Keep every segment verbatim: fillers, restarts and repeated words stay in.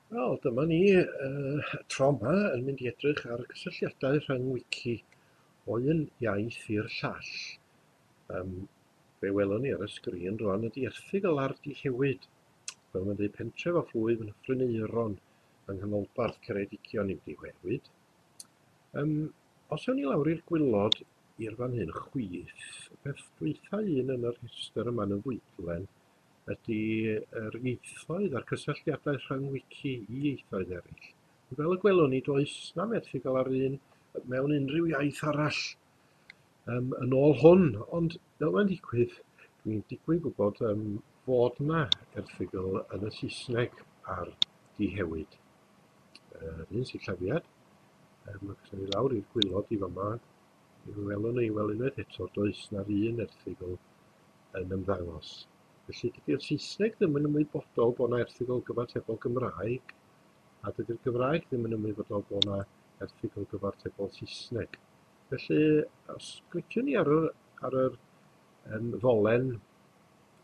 Wel, dyma ni uh, tro yma yn mynd i edrych ar y cysylltiadau rhwng wiki o un iaith i'r llall. Um, fe welwn ni ar y sgrin rwan ydy erthygl ar Dihewyd. Fel mae'n dweud, pentref a phlwyf yn Nyffryn Aeron yng nghanolbarth Ceredigion yw Dihewyd. Um, os ewn ni lawr i'r gwylod i'r fan hyn chwith, y peth dwytha un yn yr rhestr yma yn y fwydlen ydy yr ieithoedd a'r cysylltiadau rhwng wiki i ieithoedd eraill. Fel y gwelwn ni, does na'm erthygl ar un mewn unrhyw iaith arall um, yn ôl hwn, ond fel mae'n digwydd, dwi'n digwydd gwybod um, fod yna erthygl yn y Saesneg ar Dihewyd. Yr uh, un sillafiad, um, ac os ni lawr i'r gwylod i fama, mi welwn ni, wel unwaith eto, does na'r un erthygl yn ymddangos. Felly dydy'r Saesneg ddim yn ymwybodol bod yna erthygl gyfatebol Gymraeg, a dydy'r Gymraeg ddim yn ymwybodol bod yna erthygl gyfatebol Saesneg. Felly, os cliciwn ni ar yr, ar yr um, ddolen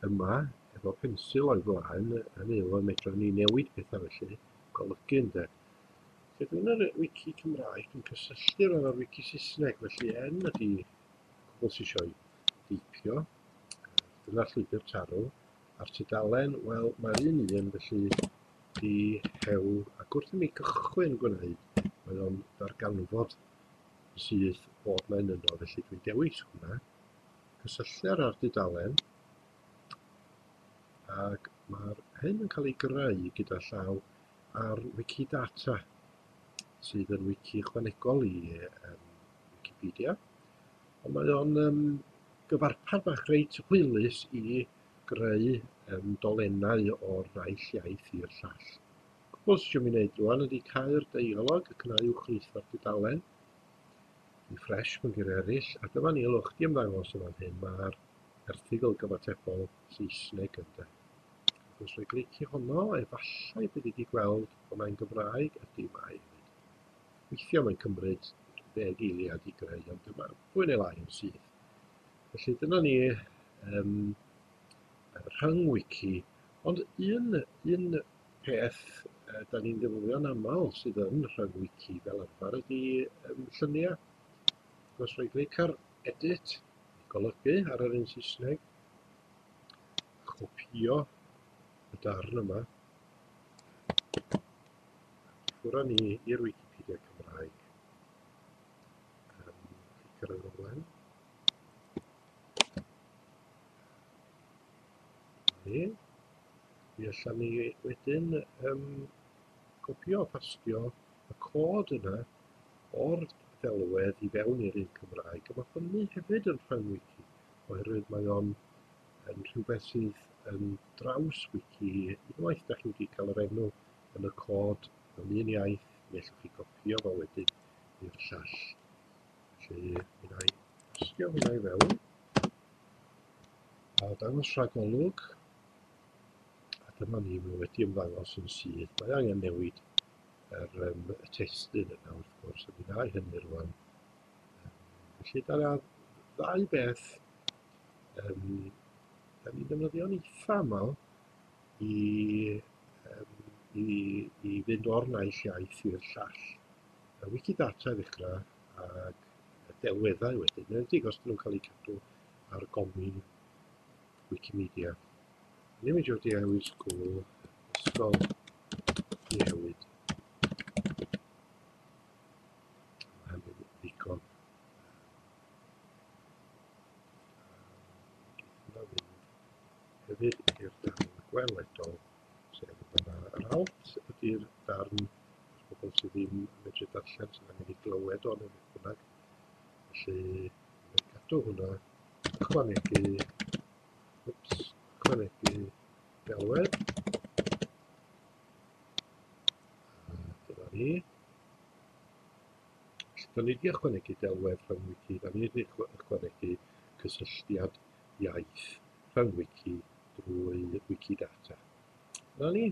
yma, efo pensil o'i flaen, hynny yw, medrwn ni newid pethau felly, golygu ynde. Felly dwi'n yr wiki Cymraeg, dwi'n cysylltu efo'r wiki Saesneg, felly N ydy cwbl sy eisiau deipio. Dyna'r llwybr tarw, a'r tudalen, wel, mae'r un un, felly Dihew, ac wrth i mi gychwyn gwneud, mae o'n darganfod syth bod mae'n yno, felly dwi'n dewis hwnna, cysylltu ar dudalen, ac mae'r hyn yn cael ei greu gyda llaw ar Wikidata, sydd yn wiki ychwanegol i um, Wikipedia, ond mae o'n um, gyfarpar bach reit hwylus i greu um, dolennau o'r naill iaith i'r llall. Cwbl sydd eisiau mi wneud rwan ydy cau'r deialog ac yna uwchlwytho'r dudalen. Refresh mewn geiriau eraill, a dyma ni, ylwch di ymddangos yn fan hyn, mae'r erthygl gyfatebol Saesneg ynde. Ac os roi glicio honno, efallai bydd wedi gweld bod mae'n Gymraeg, ydy mae hefyd. Weithiau mae'n cymryd ddeg eiliad i greu, ond dyma fwy neu lai yn syth. Felly dyna ni um, rhyng wiki, ond un, un peth uh, da ni'n ddefnyddio'n aml sydd yn rhyng wiki fel arfer ydy um, lluniau. Os roi clic ar edit, golygu ar yr un Saesneg, copio y darn yma, ffwrdd ni i'r Wikipedia Cymraeg. Um, clic ar y ddolen. Ni. Mi allan ni wedyn um, copio a pastio y cod yna o'r ddelwedd i fewn i'r un Cymraeg. A mae hynny hefyd yn rhwng wiki, oherwydd mae o'n yn rhywbeth sydd yn draws wiki. Unwaith da chi wedi cael yr enw yn y cod mewn un iaith, mi allwch chi gopio fo wedyn i'r llall. Felly, mi wna i pastio hwnna i fewn. A dangos rhagolwg. A dyma ni, mae wedi ymddangos yn syth. Mae angen newid yr, um, y testun yna wrth gwrs, a mi wna i hynny rwan. Um, felly, dyna ddau beth um, da ni'n defnyddio'n eitha aml i, um, i, i fynd o'r naill iaith i'r llall. Y Wikidata i ddechrau ac delweddau wedyn, yn enwedig os dyn nhw'n cael eu cadw ar gomin Wikimedia. Ni'n mynd i'r Dihewyd School, Ysgol Dihewyd. Mae hynny'n ddigon. Hwnna fynd hefyd i'r darn gweledol, sef yma. Yr alt ydy'r darn pobl sydd ddim yn medru darllen, sydd angen ei glywed o neu beth bynnag. Felly, mae'n cadw hwnna, ychwanegu, wps, ychwanegu delwedd. A dyna ni. Felly, da ni wedi ychwanegu delwedd rhwng wiki, da ni wedi ychwanegu cysylltiad iaith rhwng wiki drwy Wikidata. Dyna ni.